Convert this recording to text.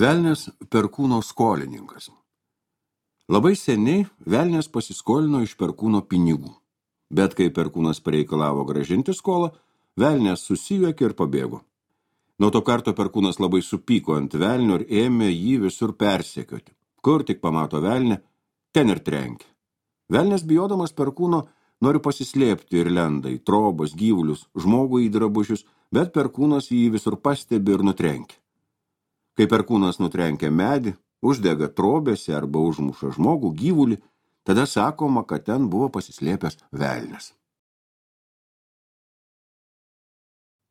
Velnias Perkūno skolininkas. Labai seniai velnias pasiskolino iš Perkūno pinigų, bet kai Perkūnas pareikalavo grąžinti skolą, velnias susijuokė ir pabėgo. Nuo to karto Perkūnas labai supyko ant velnio ir ėmė jį visur persekioti. Kur tik pamato velnę, ten ir trenkė. Velnias bijodamas Perkūno nori pasislėpti ir lenda į trobas, gyvulius, žmogų į drabužius, bet Perkūnas jį visur pastebi ir nutrenkia. Kai Perkūnas nutrenkia medį, uždega trobėse arba užmuša žmogų, gyvulį, tada sakoma, kad ten buvo pasislėpęs velnias.